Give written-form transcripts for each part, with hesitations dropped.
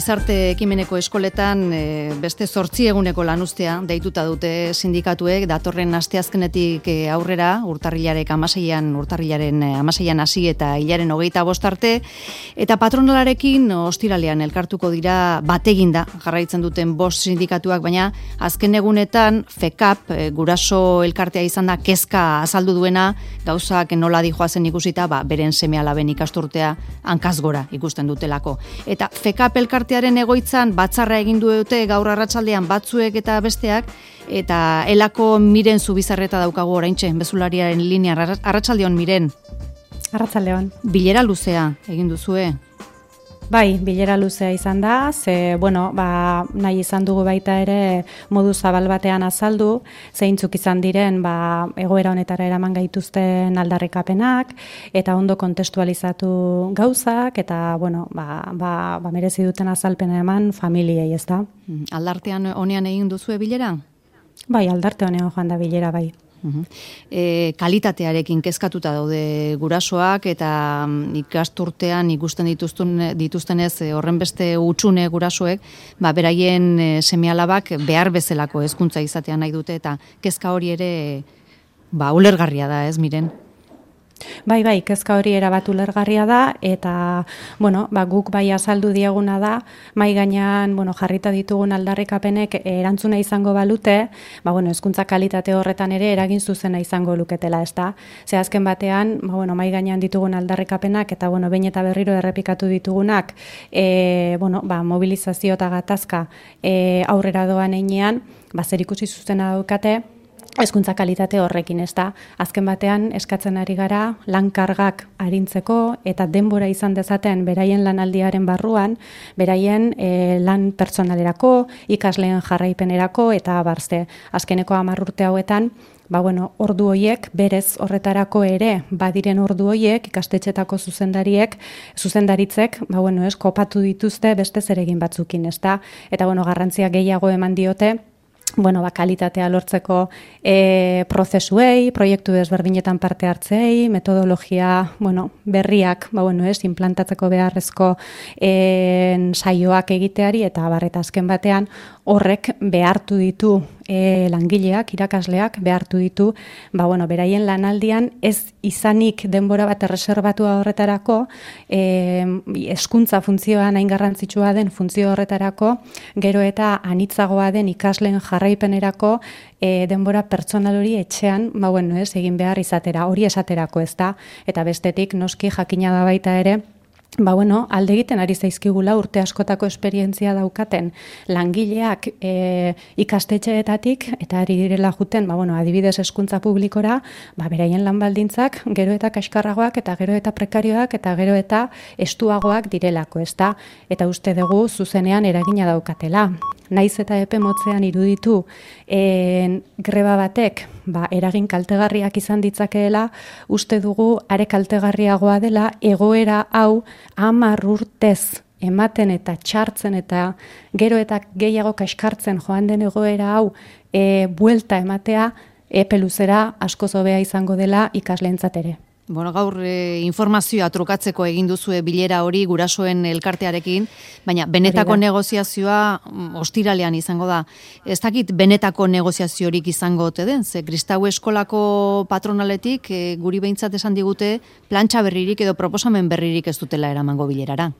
gizarte ekimeneko eskoletan beste 8 eguneko lanuztea deituta dute sindikatuek datorren asteazkenetik aurrera urtarrilaren 16 hasi eta hilaren 25 arte eta patronalarekin ostiralean elkartuko dira bateginda jarraitzen duten 5 sindikatuak, baina azken egunetan FECAP guraso elkartea izan da kezka azaldu duena gauzak nola dijoazen ikusita, beren seme-alaben ikasturtea hankaz gora ikusten dutelako. Eta FECAP elkartearen egoitzan batzarra egin dute gaur arratsaldean batzuek eta besteak, eta elako Miren Zubizarreta daukagu oraintxe, bezulariaren linea. Arratsaldeon, Miren. Arratsaldeon. Bilera luzea egin duzue? Bai, bilera luzea izan da, nahi izan dugu baita ere modu zabal batean azaldu, zeintzuk izan diren egoera honetara eraman gaituzten aldarrikapenak, eta ondo kontestualizatu gauzak, eta merezi duten azalpena eman familiei, ez da. Aldartean honean egin duzue bilera? Bai, aldarte honean joan da bilera, bai. Kalitatearekin kezkatuta daude gurasoak eta ikasturtean ikusten dituztenez horren beste hutsune gurasoek, beraien seme-alabak behar bezalako hezkuntza izatea nahi dute eta kezka hori ere ulergarria da, ez Miren? Bai, kezka hori erabat ulergarria da, eta, guk bai azaldu dieguna da, mai gainean, jarrita ditugun aldarrikapenek erantzuna izango balute, hezkuntza kalitate horretan ere eragin zuzena izango luketela, ez da? Ze azken batean, mai gainean ditugun aldarrikapenak, eta, behin eta berriro errepikatu ditugunak, mobilizazio eta gatazka aurrera doan einean, zer ikusi zuzena daukate, hezkuntza kalitate horrekin, ez da. Azken batean eskatzen ari gara lankargak arintzeko eta denbora izan dezaten beraien lanaldiaren barruan, beraien lan pertsonalerako, ikasleen jarraipenerako eta barzte. Azkeneko 10 urte hauetan, ordu hoiek, berez horretarako ere, badiren ordu hoiek, ikastetxetako zuzendaritzek, kopatu dituzte beste zeregin batzukin, ez da. Eta, garrantzia gehiago eman diote, kalitatea lortzeko prozesuei, proiektu desberdinetan parte hartzei, metodologia berriak implantatzeko beharrezko saioak egiteari, eta azken batean horrek behartu ditu langileak, irakasleak behartu ditu, beraien lanaldian ez izanik denbora bat erreserbatua horretarako, hezkuntza funtzioan hain garrantzitsua den funtzio horretarako, gero eta anitzagoa den ikasleen jarraipenerako denbora pertsonal hori etxean, egin behar izatera, hori esaterako, ez da, eta bestetik noski jakina da baita ere, alde egiten ari zaizkigula urte askotako esperientzia daukaten langileak ikastetxeetatik eta ari direla juten, adibidez hezkuntza publikora, beraien lan baldintzak gero eta kaskarragoak eta gero eta prekarioak eta gero eta estuagoak direlako, ezta? Eta uste dugu zuzenean eragina daukatela. Naiz eta epe motzean iruditu greba batek eragin kaltegarriak izan ditzakeela, uste dugu are kaltegarriagoa dela egoera hau 10 urtez ematen eta txartzen eta gero eta gehiago kaskartzen joan den egoera hau buelta ematea epe luzera askoz hobea izango dela ikasleentzat ere. Gaur informazioa trukatzeko egin duzue bilera hori gurasoen elkartearekin, baina benetako negoziazioa ostiralean izango da. Ez dakit benetako negoziaziorik izango ote den, ze Kristau eskolako patronaletik guri behintzat esan digute plantxa berririk edo proposamen berririk ez dutela eramango bilerara.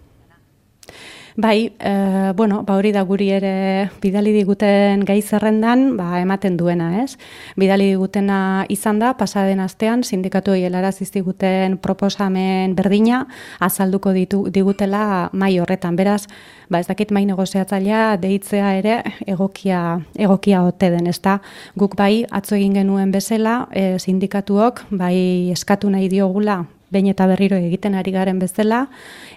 Bai, hori da guri ere bidali diguten gai zerrendan, ematen duena, ez? Bidali digutena izan da, pasaden astean, sindikatuei helarazi ziguten proposamen berdina, azalduko digutela mai horretan. Beraz, ez dakit mai negoziatzailea deitzea ere egokia ote den, ezta? Guk atzo egin genuen bezala, sindikatuok, eskatu nahi diogula, behin eta berriro egiten ari garen bezala,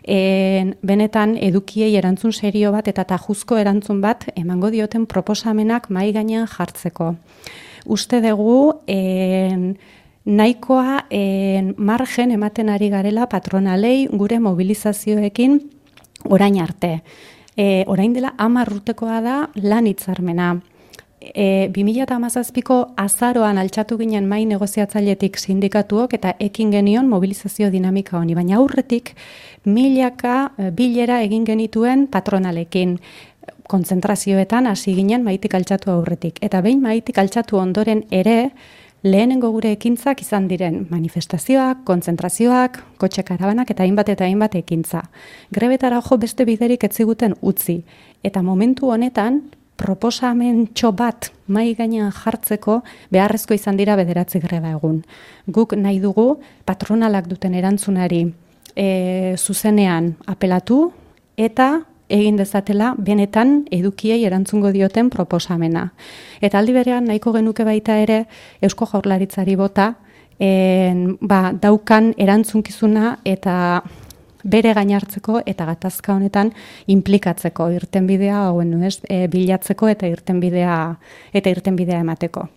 benetan edukiei erantzun serio bat eta tajuzko erantzun bat emango dioten proposamenak mahai gainean jartzeko. Uste dugu nahikoa margen ematen ari garela patronalei gure mobilizazioekin orain arte. Orain dela 10 urtekoa da lan hitzarmena. 2017ko azaroan altxatu ginen mai negoziatzailetik sindikatuok eta ekin genion mobilizazio dinamika honi, baina aurretik milaka bilera egin genituen patronalekin, kontzentrazioetan hasi ginen maitik altxatu aurretik. Eta behin maitik altxatu ondoren ere, lehenengo gure ekintzak izan diren manifestazioak, kontzentrazioak, kotxe karabanak eta hainbat ekintza. Grebetara jo beste biderik ez ziguten utzi. Eta momentu honetan, proposamentxo bat mai gainean jartzeko beharrezko izan dira 9 greba egun. Guk nahi dugu patronalak duten erantzunari zuzenean apelatu eta egin dezatela benetan edukiei erantzungo dioten proposamena. Eta aldi berean nahiko genuke baita ere Eusko Jaurlaritzari bota daukan erantzunkizuna eta bere gainartzeko eta gatazka honetan inplikatzeko irtenbidea bilatzeko eta irtenbidea emateko.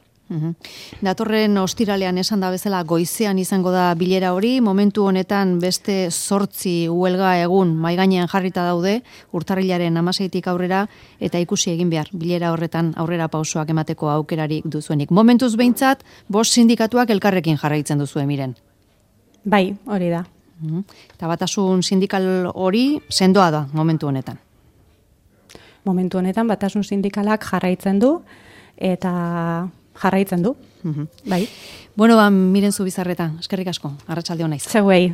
Datorren ostiralean esan da bezala goizean izango da bilera hori, momentu honetan beste 8 huelga egun mahai gainean jarrita daude, urtarrilaren 16tik aurrera, eta ikusi egin behar bilera horretan aurrera pausoak emateko aukerarik duzuenik. Momentuz behintzat, 5 sindikatuak elkarrekin jarraitzen duzue miren. Bai, hori da. Eta batasun sindikal hori sendoa da momentu honetan. Momentu honetan batasun sindikalak jarraitzen du eta jarraitzen du. Bai. Bueno, Miren Zubizarreta, eskerrik asko. Arratsalde on naiz. Zeuei.